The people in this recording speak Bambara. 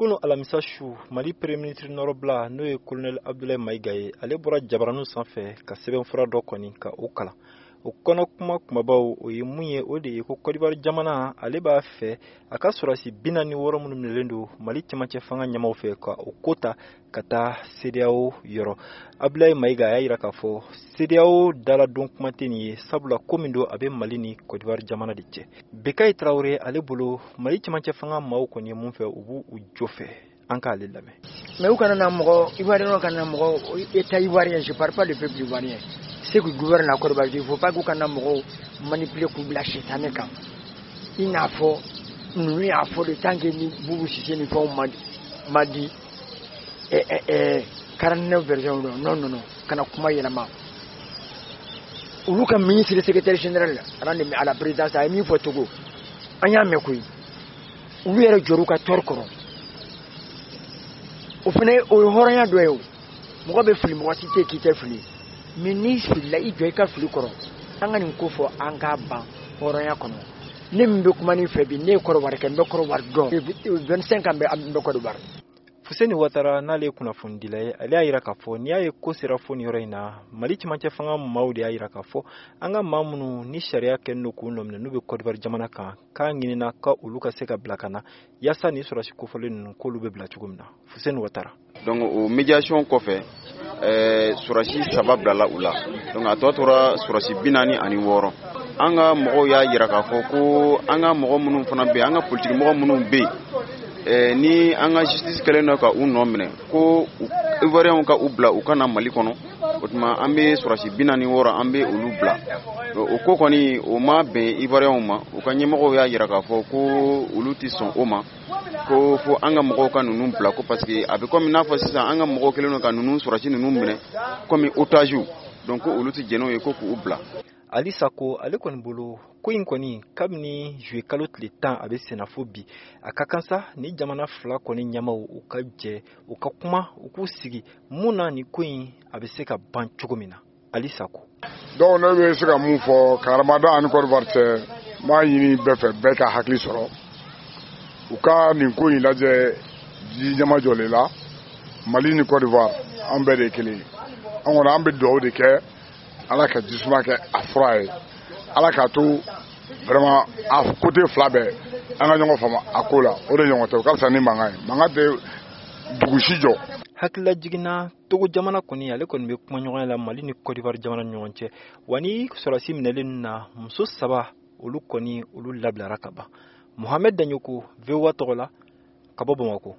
Kunu alamisa su, Mali Premier ministre nɔrɔbila, n'o ye Colonel Abdoulaye Mayiga ye, ale bɔra jabaraninw sanfɛ ka sɛbɛnfura dɔ kɔni ka o kalan. O kɔnɔ kuma kumabaw, o ye mun ye? O de ye ko Kɔdiwari jamana, ale b'a fɛ a ka sɔrɔdasi 46 minnu minɛlen don Mali cɛmancɛ fanga ɲɛmaw fɛ, ka o ko ta ka taa CEDEAO yɔrɔ. Abdoulaye Mayiga y'a yira k'a fɔ CEDEAO daladon kuma tɛ nin ye, sabula ko min don, a bɛ Mali ni Kɔdiwari jamana de cɛ. Bekayi Tarawele, ale bolo, Mali cɛmancɛ fanga maaw kɔni ye mun fɛ, u b'u u jo fɛ. An k'ale lamɛn. Mais u kana na mɔgɔ ivoirien, kana mɔgɔ état ivoirien, je parle pas du peuple ivoirien, ceux qui gouvernent la Côte d'Ivoire, il faut pas k'u kana mɔgɔw manipuler k'u bila sitanɛ kan, i n'a fɔ ninnu y'a fɔ de, tant que ni Boubou Cissé ni fɛnw ma di 49 version. Non, non, non, kana kuma yɛlɛma. Olu ka ministre secrétaire général à la présidence a ye min fɔ Togo, an y'a mɛn koyi. Olu yɛrɛ jɔr'u ka tɔɔrɔ kɔrɔ. O fana, o ye hɔrɔnya dɔ ye. O mɔgɔ bɛ fili, mɔgɔ si tɛ k'i tɛ fili, mais n'i filila, i jɔ i ka fili kɔrɔ. An ka nin ko fɔ, an k'a ban hɔrɔnya kɔnɔ. Ne min bɛ kuma nin fɛ bi, ne ye Kɔrɔwari kɛ, n bɛ Kɔrɔwari dɔn, 25 ans bɛ n bɛ Kɔrɔwari. Fuseni Watara, n'ale ye kunnafonidila ye, ale y'a yira k'a fɔ n'i y'a ye ko sera fo nin yɔrɔ in na, Mali cɛmancɛ fanga maaw de y'a yira k'a fɔ an ka maa minnu ni sariya kɛlen don k'u nɔminɛ, n'u bɛ Kɔdiwari jamana kan, k'a ɲinina ka olu ka se ka bila ka na, yaasa ni sɔrɔdasi kofɔlen ninnu, k'olu bɛ bila cogo min na. Fuseni Watara. Donc o médiation kɔfɛ, sɔrɔdasi saba bilala u la. Donc a tɔ tora sɔrɔdasi 46. An ka mɔgɔw y'a yira k'a fɔ ko an ka mɔgɔ minnu fana bɛ yen, an ka politiki mɔgɔ minnu bɛ yen, ni an ka justice kɛlen don ka u nɔ minɛ, ko ivoiriyɛnw ka u bila u ka na Mali kɔnɔ. O tuma an bɛ sɔrɔdasi 46, an bɛ olu bila. O ko kɔni, o ma bɛn ivoiriyɛnw ma. U ka ɲɛmɔgɔw y'a yira k'a fɔ ko olu tɛ sɔn o ma, ko fo an ka mɔgɔw ka ninnu bila, ko parce que a bɛ komi n'a fɔ sisan an ka mɔgɔw kɛlen don ka ninnu sɔrɔdasi ninnu minɛ komi otage. Donc ko olu tɛ jɛn n'o ye, ko k'u bila. Ali Sako, ale kɔni bolo, ko in kɔni, kabini juillet kalo tile 10, a bɛ senna fo bi, a ka kan sa ni jamana fila kɔni ɲɛmaw, u ka jɛ, u ka kuma, u k'u sigi mun na nin ko in a bɛ se ka ban cogo min na. Ali Sako. Donc ne bɛ se ka mun fɔ karamada ani Côte d'Ivoire cɛ? N b'a ɲini bɛɛ fɛ, bɛɛ ka hakili sɔrɔ, u ka nin ko in lajɛ ji ɲɛmajɔlen la. Mali ni Côte d'Ivoire, an bɛɛ de ye kelen ye. An kɔni, an bɛ dugawu de kɛ, Ala ka jisuma kɛ a fura ye, Ala k'a to vraiment a côté fila bɛɛ, an ka ɲɔgɔn faamu a ko la. O de ɲɔgɔn tɛ, o ka fisa ni mankan ye. Mankan tɛ dugu si jɔ. Hakilila jiginna, Togo jamana kɔni, ale kɔni bɛ kumaɲɔgɔnya la Mali ni Kɔdiwari jamana ni ɲɔgɔn cɛ. Wa ni sɔrɔdasi minɛlen na, muso saba, olu kɔni, olu labilara ka ban. Mohamed Daɲoko, VOA tɔgɔ la, ka bɔ Bamakɔ.